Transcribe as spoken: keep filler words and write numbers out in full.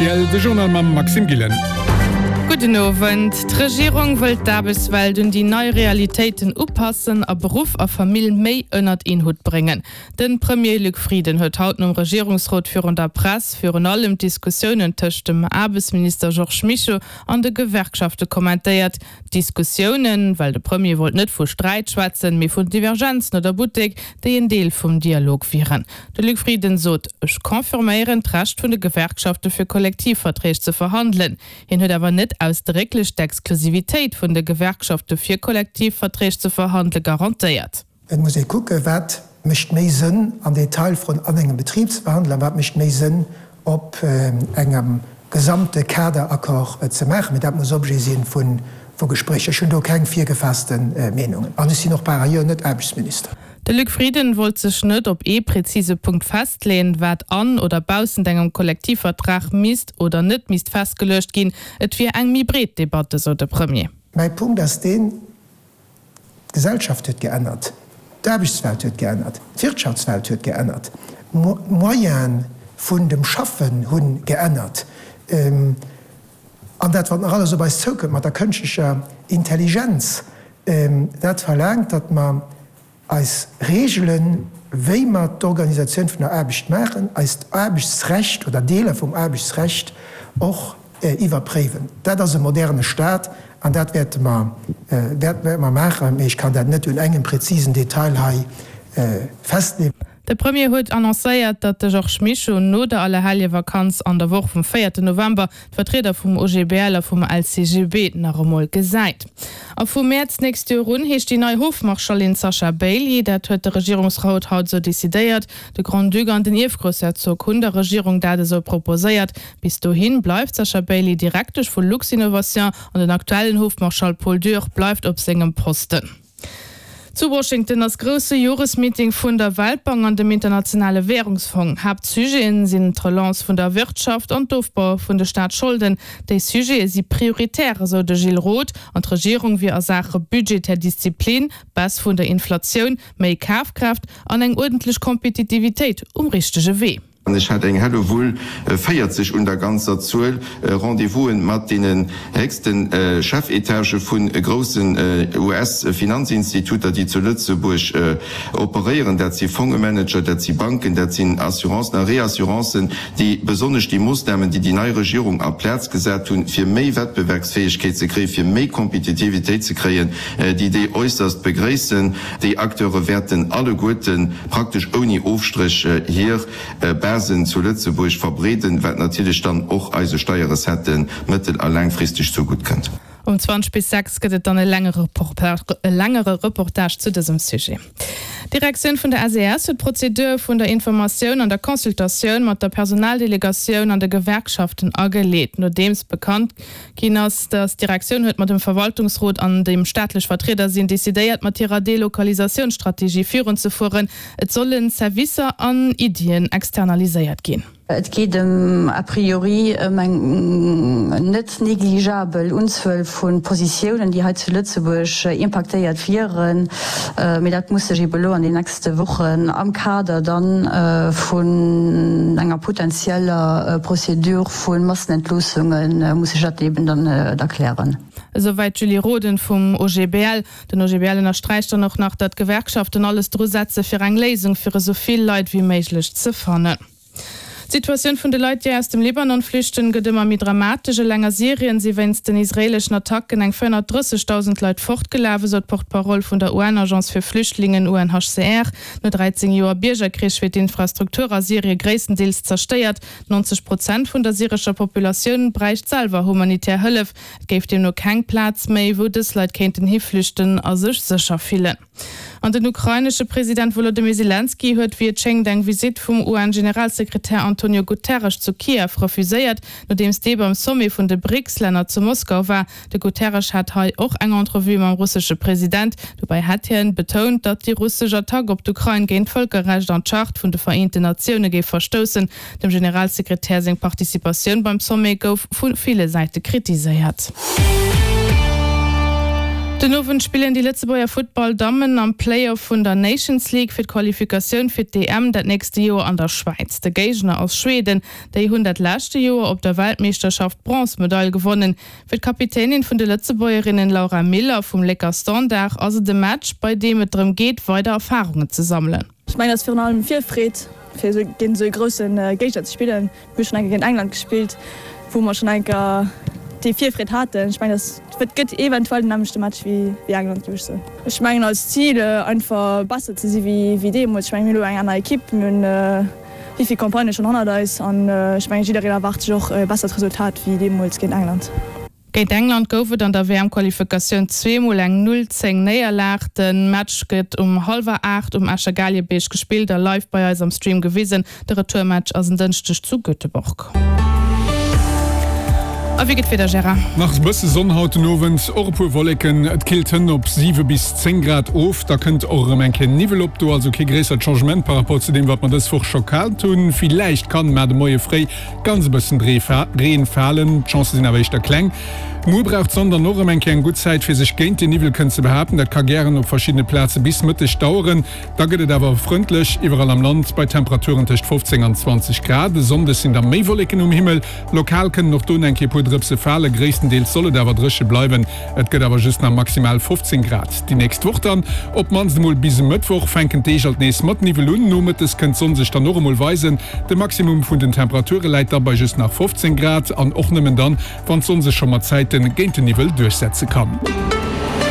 rtl, de Journal mam Maxime Gillen. Gudden Owend. D'Regierung wëllt d'Aarbechtswelt un déi nei Realitéiten upassen a Beruff a Famill méi ënnert een Hutt bréngen. De Premier Luc Frieden huet haut nom Regierungsrot virun der Press virun allem d'Diskussiounen tëscht dem Aarbechtsminister Georges Mischo an de Gewerkschafte kommentéiert. Diskussiounen, well de Premier wollt net vu Sträit schwätzen, mee vun Divergenzen oder Buttek, déi en Deel vum Dialog wieren. De Luc Frieden sot, Ech confirméieren d'Recht vun de Gewerkschafte fir Kollektivverträg ze verhandelen. Hien huet awer net ausdrécklech d'Exklusivitéit vun de Gewerkschafte fir Kollektivverträg ze verhandele garantéiert. Et muss ee kucken, wat mécht méi Sënn an Detailfroen an engem Betrib ze verhandelen a wat mécht méi Sënn op engem gesamte Kaderaccord ze maachen. Mee dat muss Objet si vu Gespréicher. Ech hunn do keng virgefaasste Meenungen an ech sinn och par ailleurs net Aarbechtsminister. De Luc Frieden wollt sech net op ee präzise Punkt festleeën, wat an oder baussent engem Kollektivvertrag misst oder net misst festgeluecht ginn. Et wier eng méi breet Debatt, esou de Premier. Mäi Punkt ass deen, D'Gesellschaft huet geännert, d'Aarbechtswelt huet geännert, d'Wirtschaftswelt huet geännert, d'Moyene vun dem Schaffen hu geännert. An dat, wat nach alles op eis zoukënnt mat der kënschtlecher Intelligenz, dat verlaangt, datt mer eis Reegelen, wéi mer d'Organisatioun vun der Aarbecht maachen, eist Aarbechtsrecht oder Deeler vum Aarbechtsrecht och iwwerpréiwen. Dat ass e moderne Stat an dat wäerte mer, wäerte mer maachen. Mee ech kann dat net un engem präzisen Detail hei festleeën. De Premier huet annoncéiert, datt de Georges Mischo no der Allerheljevakanz an der Woch vum véierten November d'Vertrieder vum O G B L a vum L C G B nach emol gesäit. A vu Mäerz d'nächst Joer un heescht déi nei Hofmarschallin Sasha Bailey. Dat huet de Regierungsrot haut esou decidéiert. De Grand-Duc an den Ierfgroussherzog hunn der Regierung dat esou proposéiert. Bis dohi bleift d'Sasha Bailey Direktesch vu Luxinnovation an den aktuellen Hofmarschall Paul Dürr bleift op sengem Posten. Zu Washington ass grousse Joresmeeting vun der Weltbank an dem Internationale Wärungsfong. Haaptsujeten sinn d'Relance vun der Wirtschaft an d'Ofbau vun de Staatsscholden. Déi Sujete si prioritär, esou de Gilles Roth. An d'Regierung wier a Saache budgetär Disziplin, Baisse vun der Inflatioun, méi Kafkraaft an eng uerdentlech Kompetitivitéit um richtege Wee. An ech hat eng Hellewull, véierzeg un der ganzer Zuel, Rendez-vous'en mat deenen héchsten Chefetagë vu groussen U S-Finanzinstituter, déi zu Lëtzebuerg operéieren. Dat si Fongemanager, dat si Banken, dat sinn Assurancen a Reassurancen, déi besonnesch déi Moossnamen, déi déi nei Regierung a Plaz gesat hunn, fir méi Wettbewerbsfäegkeet ze kréien, fir méi Kompetitivitéit ze kréien, déi déi äusserst begréissen. Déi Acteure wäerten alleguerten praktesch ouni Ofstréch hir Basen zu Lëtzebuerg verbreeden, wat natierlech dann och eise Steierrecetten mëttel a laangfristeg zougutt kënnt. Um zwanzeg bis sechs gëtt et dann e längere e längere Reportage zu dësem Sujet. D'Direktioun vun der S E S huet d'Prozedur vun der Informatioun an der Consultatioun mat der Personaldelegatioun an de Gewerkschaften ageleet, nodeems bekannt ginn ass, datt d'Direktioun huet mat dem Verwaltungsrot an deem staatlech Vertrieder sinn, decidéiert mat hirer Delokalisatiounsstrategie virunzefueren. Et solle Servicer an Iddien externaliséiert ginn. Et geet ëm a priori ëm eng net negligeabel Unzuel vu Positiounen, déi hei zu Lëtzebuerg impaktéiert wieren. Mee dat muss sech ebe lo an den nächste Wochen am Kader dann vun enger potenzieller Prozedur vu Massenentloossunge muss sech dat eben dann erklären. Esouwäit d'Julie Roden vum O G B L. Den O G B L ënnersträicht dann och nach, datt d'Gewerkschaften alles dru setze fir eng Léisung fir esou vill Leit wéi méiglech ze fannen. D'Situatioun vun de Leit, déi aus dem Libanon flüchten, gëtt ëmmer méi dramatesch. Eleng a Syrien si wéinst den israeeleschen Attacken eng véierhonnertdrëssegdausend Leit fortgelaf, esou d'Porte-parole vun der U N-Agence fir Flüchtlingen U N H C R. No dräizéng Joer Biergerkrich wier d'Infrastruktur a Syrie gréisstendeels zerstéiert. Nonzeg Prozent vun der syrescher Populatioun bräicht selwer humanitär Hëllef. Et géif deemno keng Plaz méi, wou dës Leit kéinten hiflüchten a sech sécher fillen. An den ukrainesche President Wolodymyr Selenskyj huet, wéi et schéngt, eng Visitt vum U N-Generalsekretär Antonio Guterres zu Kiew refuséiert, nodeems dee beim Sommet vun de BRICS-Länner zu Moskau war. De Guterres hat hei och eng Entrevue mam russesche President. Dobäi hätt hien betount, datt déi russesch Attack op d'Ukrain géint d'Vëlkerrecht an d'Charte vun de Vereenten Natioune géif verstoussen. Dem Generalsekretär seng Participatioun beim Sommet gouf vu ville Säite kritiséiert. Den Owend spillen déi Lëtzebuerger Futtball-Dammen am Play-Off vun der Nations League fir d'Qualifikatioun fir d'EM dat nächste Joer an der Schwäiz. De Géigner ass Schweden. Déi hunn dat leschte Joer op der Weltmeeschterschaft d'Bronzmedail gewonnen. Fir d'Kapitänin vun de Lëtzebuergerinnen Laura Miller vum Lécker Standard ass et e Match, bei deem et drëm geet, weider Erfarungen ze sammelen. Ech mengen, et ass virun allem Virfreed, fir esou géint esou e grousse Géigner ze spillen. Mir hu schonn eng Kéier géint England gespillt, wou mer schonn eng Kéier déi Virfreed haten. Ech mengen, dat gëtt eventuell den nämmlechte Match wéi England, géif ech soen. Ech mengen als Zil einfach besser ze si wéi deemools. Ech mengen, mir hunn elo eng aner Ekipp, mir hunn wéi vill Campagnë schonn hannert eis an ech mengen, jiddereen erwaart sech och e bessert Resultat wéi deemools géint England. Géint England gouf et an der WM-Qualifikatioun zwee Mol eng Null, zéng Néierlag. De Match gëtt um hallwer aacht um Escher Gaaljebeerg gespillt a live bei eis am Stream gewisen. De Retourmatch ass en Dënschdeg zu Göteborg. A wéi geet d'Wieder, Gérard? Nach e bësse Sonn haut den Owend, och e puer Wolleken. Et killt hënn op siwe bis zéng Grad of. Da kënnt och erëm eng Kéier Niwwel op. Do also kee gréissert Changement par rapport zu deem, wat mer dës Woch scho gehat hunn. Villäicht kann mar de Moie fréi ganz e bëssen Reen falen, d'Chancë sinn awer éischter kleng. Muer brauch d'Sonn dann och erëm eng Kéier eng gutt Zäit, fir sech géint den Niwwel kënnen ze behaapten. Dat ka gären op verschiddene Plaze bis Mëtteg daueren. Da gëtt et awer frëndlech iwwerall am Land bei Temperaturen tëscht fofzéng an zwanzeg Grad. E Sonndeg sinn da méi Wolleken um Himmel, lokal kënnen och do eng Kéier e puer Drëpse falen. Gréisstendeels soll et awer dréche bleiwen, et gëtt awer just nach maximal fofzéng Grad. Déi nächst Woch dann, op d'mannst emol bis e Mëttwoch, fänken d'Deeg alt nees mat Niwwel un. Nomëttes kënnt d'Sonn sech dann och emol weisen. De Maximum vun den Temperature läit da bei just nach fofzéng Grad an och nëmmen dann, wann d'Sonn sech scho mat Zäiten géint den Niwwel duerchsetze kann.